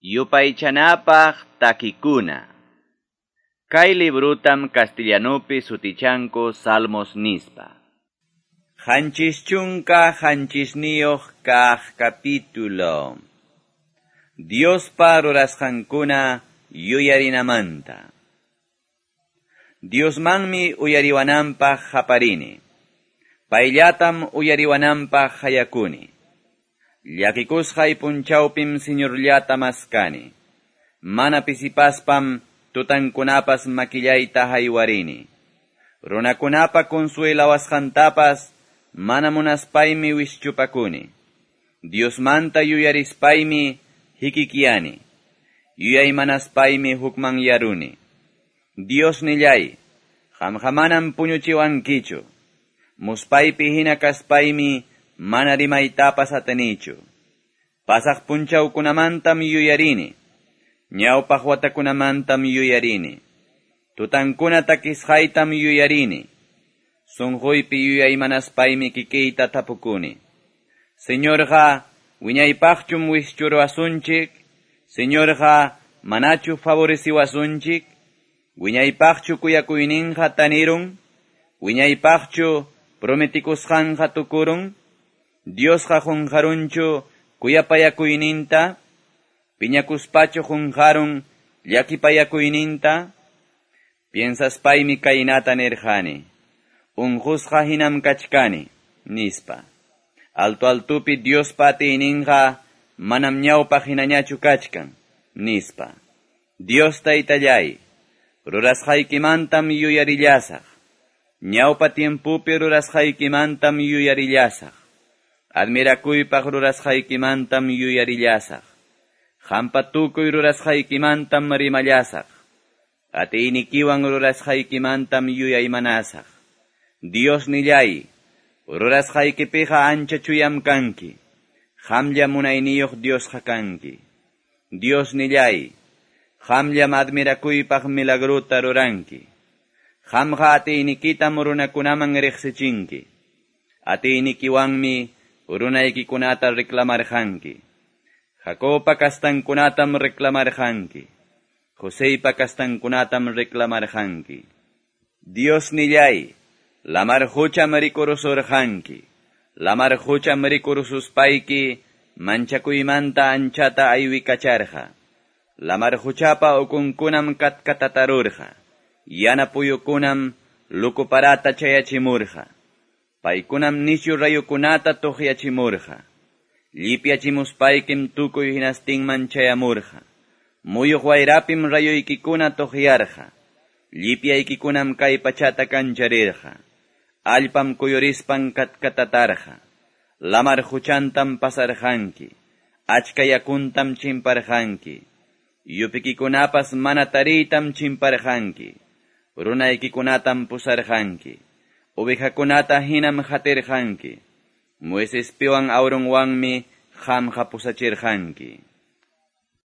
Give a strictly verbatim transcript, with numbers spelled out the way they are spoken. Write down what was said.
Yupaychanapaq takikuna. Kay librutam castellanupi sutichanku Salmos nispa. Qanchis chunka qanchisniyuq kaq capítulo. Diospa rurasqankuna yuyarinamanta. Diosmanmi uyariwananpaq qaparini. Payllatam uyariwananpaq hayakuni. Llakikusqay punchawpim Señorllata maskani. Mana pisipaspam tutankunapas makillayta haywarini. Runakunapa consuelawasqantapas mana munaspaymi wischupakuni. Diosmanta yuyarispaymi hikikiani. Yuyaymanaspaymi hukmanyaruni. Dios nillay, qamqa manam puñuchiwankichu. Muspaypi hina kaspaymi mana rimaytapas atinichu. Pasaq punchawkunamantam yuyarini. Ñawpaq watakunamantam yuyarini. Tutankuna takisqaytam yuyarini. Sunquypi yuyaymanaspaymi kikiyta tapukuni. Señorqa, wiñaypaqchum wischuruwasunchik? Señorqa, manachu favoreciwasunchik? Wiñaypaqchu kuyakuyninqa tanirun? Wiñaypaqchu prometikusqanqa tukurun? Diosqa qunqarunchu kuyapayakuyninta? Piñakuspachu qunqarun llakipayakuyninta? Piensaspaymi kaynata nirqani. Unqusqa hinam kachkani, nispa. Alto altupi Diospa atiyninqa manam ñawpaq hinañachu kachkan, nispa. Dios taytallay, rurasqaykimantam yuyarillasaq. Ñawpa tiempupi rurasqaykimantam yuyarillasaq. Admirakuypaq rurasqaykimantam yuyarillasaq. Qampa tukuy rurasqaykimantam rimallasaq. Atiynikiwan rurasqaykimantam yuyaymanasaq. Dios nillay, rurasqaykipiqa ancha chuyam kanki. Qamlla munayniyuq Diosqa kanki. Dios nillay, qamllam admirakuypaq milagruta ruranki. Qamqa atiynikitam runakunaman riqsichinki. Atiynikiwanmi runaykikunata reclamarqanki. Jacobpa kastankunatam reclamarqanki. Joseypa kastankunatam reclamarqanki. Dios nillay, lamar qucham rikurusurqanki. Lamar qucham rikurususpayki manchakuymanta anchata aywikacharqa. Lamar quchapa ukunkunam katkatatarurqa. Yana puyukunam lukuparata chayachimurqa. Paykunam nisyu rayukunata tuqyachimurqa. Llipyachimuspaykim tukuy hinastinman chayamurqa. Muyuq wayrapim rayuykikuna tuqyarqa. Llipyaykikunam kay pachata kancharirqa. Allpam kuyurispan katkatatarqa. Lamar quchantam pasarqanki. Achka yakuntam chimparqanki. Yupikikunapas mana tariytam chimparqanki. Runaykikunatam pusarqanki. Ovejakunata hinam qatirqanki. Moisespiwan Aaronwanmi qamqa pusachirqanki.